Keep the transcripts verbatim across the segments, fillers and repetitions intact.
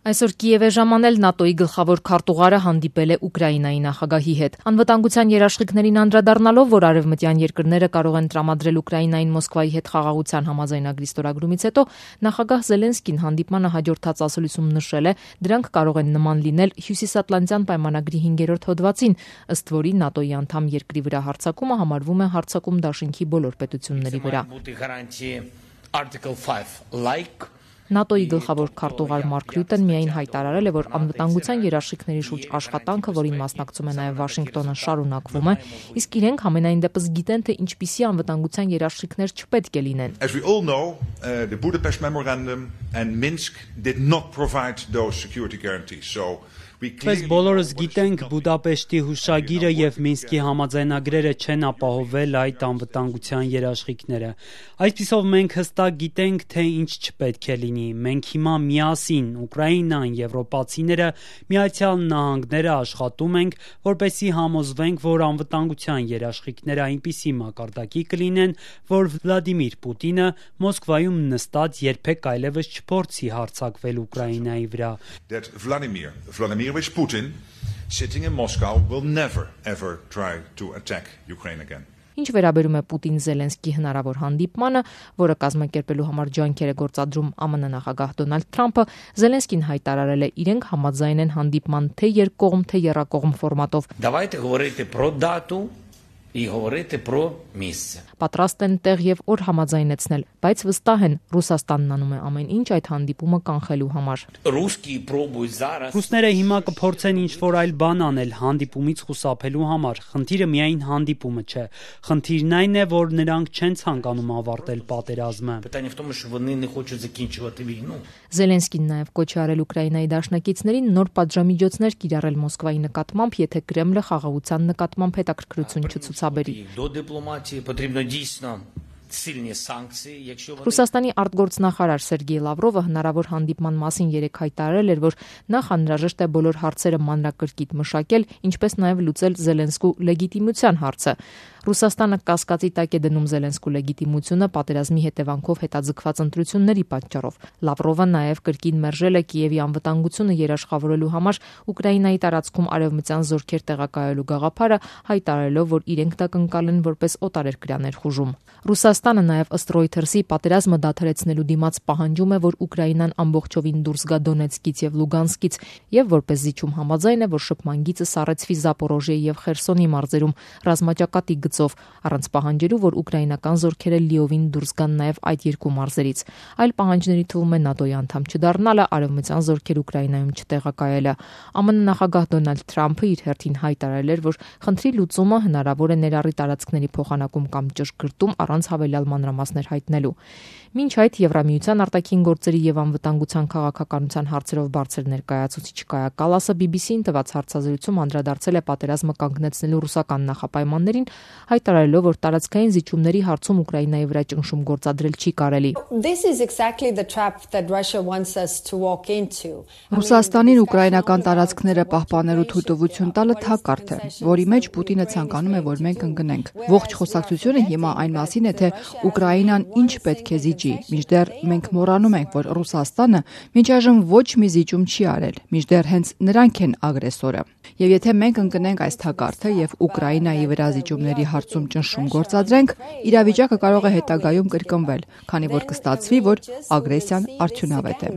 Այսօր Կիև է ժամանել ՆԱՏՕ-ի գլխավոր քարտուղարը հանդիպել է Ուկրաինայի նախագահի հետ։ Անվտանգության երաշխիքներին անդրադառնալով, որ արևմտյան երկրները կարող են տրամադրել Ուկրաինային Մոսկվայի հետ խաղաղության համաձայնագրի ստորագրումից հետո, նախագահ Զելենսկին հանդիպմանը հաջորդած ասուլիսում նշել է, դրանք կարող են նման լինել Հյուսիսատլանտյան պայմանագրի հինգերորդ հոդվածին, ըստ որի ՆԱՏՕ-ի անդամ երկրի վրա հարձակումը համարվում է հարձակում դաշինքի բոլոր պետությունների վրա։ ՆԱՏՕ-ի գլխավոր քարտուղար Մարկ Ռյուտեն միայն հայտարարել է, որ անվտանգության երաշխիքների շուրջ աշխատանքը, որին մասնակցում է նաև Վաշինգտոնը, շարունակվում է, իսկ իրենք համենայն դեպս գիտեն, թե ինչպիսի անվտանգության երաշխիքներ չպետք է լինեն։ As we all know, uh, the Budapest Memorandum and Minsk did not provide those security guarantees. So Պես բոլորս գիտենք, Բուդապեշտի հուշագիրը եւ Մինսկի համաձայնագրերը չեն ապահովել այդ անվտանգության երաշխիքները։ Այսպիսով մենք հստակ գիտենք, թե ինչ չպետք է լինի։ Մենք հիմա միասին, Ուկրաինան, եվրոպացիները, Միացյալ Նահանգները աշխատում ենք, որպեսզի համոզվենք, որ անվտանգության երաշխիքները այնպիսի մակարդակի կլինեն, որ Վլադիմիր Պուտինը Մոսկվայում նստած երբեք այլևս չփորձի հարձակվել Ուկրաինայի վրա։ That Vladimir, Vladimir Putin sitting in Moscow will never ever try to attack Ukraine again. Ինչ վերաբերում է Պուտին-Զելենսկի հնարավոր հանդիպմանը, որը կազմակերպելու համար ջանքեր է գործադրում ԱՄՆ նախագահ Դոնալդ Թրամփը, Զելենսկին հայտարարել է, իրենք համաձայն են հանդիպման թե երկկողմ, թե եռակողմ ֆորմատով։ Давайте говорити про дату і говорити про місце. Պատրաստ են տեղ եւ օր համաձայնեցնել, բայց վստահ են, Ռուսաստանն անում է ամեն ինչ այդ հանդիպումը կանխելու համար։ Ռուսկի պրոբույ зараз Ռուսները հիմա կփորձեն ինչ-որ այլ բան անել հանդիպումից խուսափելու համար։ Խնդիրը միայն հանդիպումը չէ։ Խնդիրն այն է, որ նրանք չեն ցանկանում ավարտել պատերազմը։ Питання в тому, що вони не хочуть закінчувати війну. Զելենսկին նաև կոչ է արել Ուկրաինայի դաշնակիցներին նոր պատժամիջոցներ կիրառել Մոսկվայի նկատմամբ, եթե Կրեմլը խաղաղության նկատմամբ հետաքրքրություն չցուցաբերի։ До дипломатії потрібно дійсно сильні санкції, якщо вони Ռուսաստանի արտգործնախարար Սերգեյ Լավրովը հնարավոր հանդիպման մասին երեկ հայտարարել էր, որ նախ անհրաժեշտ է բոլոր հարցերը մանրակրկիտ մշակել, ինչպես նաև լուծել Զելենսկու լեգիտիմության հարցը։ Ռուսաստանը կասկածի տակ է դնում Զելենսկու լեգիտիմությունը պատերազմի հետևանքով հետաձգված ընտրությունների պատճառով։ Լավրովը նաև կրկին մերժել է Կիևի անվտանգությունը երաշխավորելու համար Ուկրաինայի տարածքում արևմտյան զորքեր տեղակայելու գաղափարը, հայտարարելով, որ իրենք դա կընկալեն որպես օտարերկրյա ներխուժում։ Ռուսաստանը նաև ըստ Reuters-ի պատերազմը դադարեցնելու դիմաց պահանջում է, որ Ուկրաինան ամբողջովին դուրս գա Դոնեցկից եւ Լուգանսկից, եւ որպես զիջում համաձայն է, որ շփման գիծը սառեցվի Զապորոժիեի եւ Խերսոնի մարզերում ռազմաճակատի գծով, առանց պահանջելու, որ ուկրաինական զորքերը լիովին դուրս գան նաև այդ երկու մարզերից։ Այլ պահանջների թվում է ՆԱՏՕ-ի անդամ չդառնալը, արևմտյան զորքեր Ուկրաինայում չտեղակայելը։ ԱՄՆ նախագահ Դոնալդ Թրամփը իր հերթին հայտարարել էր, որ խնդրի լուծումը հնարավոր է ներառի տարածքների փոխանակում կամ ճշգրտում առանց հավելյալ մանրամասներ հայտնելու։ Մինչ այդ Եվրամիության արտաքին գործերի եւ անվտանգության քաղաքականության հարցերով բարձր ներկայացուցիչ Կայա Կալասը բի բի սի-ին տված հարցազրույցում անդրադարձել է պատերազմը կանգնեցնելու ռուսական նախապայմաններին, հայտարարելով, որ տարածքային զիջումների հարցում Ուկրաինայի վրա ճնշում գործադրել չի կարելի։ This is exactly the trap that Russia wants us to walk into. Ռուսաստանին ուկրաինական տարածքները պահպանելու թույլտվություն տալը թակարդ է, որի մեջ Պուտինը ցանկանում է, որ մենք ընկնենք։ Ողջ խոսակցությունը հիմա այն մասին է, թե Ուկրաինան ինչ պետք է զիջի, մինչդեռ մենք մոռանում ենք, որ Ռուսաստանը մինչ այժմ ոչ մի զիջում չի արել, մինչդեռ հենց նրանք են ագրեսորը։ Եվ եթե մենք ընկնենք այս թակարդը եւ Ուկրաինայի վրա զիջումների հարցում ճնշում գործադրենք, իրավիճակը կարող է հետագայում կրկնվել, քանի որ կստացվի, որ ագրեսիան արդյունավետ է։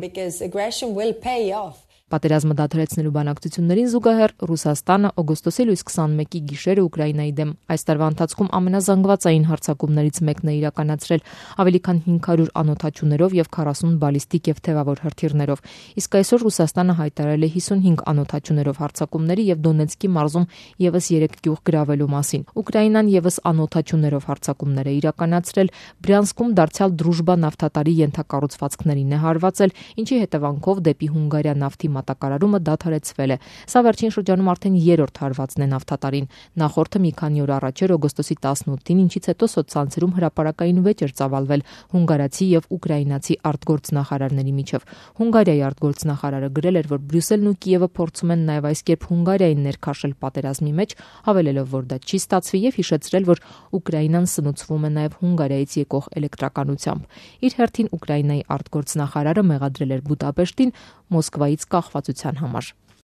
Պատերազմը դադարեցնելու բանակցություններին զուգահեռ Ռուսաստանը օգոստոսի լույս քսանմեկի գիշերը Ուկրաինայի դեմ այս տարվա ընթացքում ամենազանգվածային հարձակումներից մեկն է իրականացրել ավելի քան հինգ հարյուր անօդաչուներով եւ քառասուն բալիստիկ եւ թևավոր հրթիռներով։ Իսկ այսօր Ռուսաստանը հայտարարել է հիսունհինգ անօդաչուներով հարձակումների եւ Դոնեցկի մարզում եւս երեք գյուղ գրավելու մասին։ Ուկրաինան եւս անօդաչուներով հարձակումներ է իրականացրել, Բրյանսկում դարձյալ Դրուժբա նավթատարի ենթակառուցվածքներին է հարվածել, ինչի հետևանքով դեպի Հունգարիա նավթի մատակարարումը դադարեցվել է։ Սա վերջին շրջանում արդեն երրորդ հարվածն է նավթատարին։ Նախորդը մի քանի օր առաջ էր օգոստոսի տասնութին, ինչից հետո սոցցանցերում հրապարակային վեճ էր ծավալվել հունգարացի եւ ուկրաինացի արտգործնախարարների միջև։ Հունգարիայի արտգործնախարարը գրել էր, որ Բրյուսելն ու Կիևը փորձում են նաեւ այս կերպ Հունգարիային ներքաշել պատերազմի մեջ, հավելելով, որ դա չի ստացվի եւ հիշեցրել, որ Ուկրաինան սնուցվում է նաեւ Հունգարիայից եկող էլեկտրականությամբ։ Իր հերթին Ուկրաինայի արտգործնախարարը մեղադրել էր Բուդապեշտին Մոսկվայից կախվածության համար։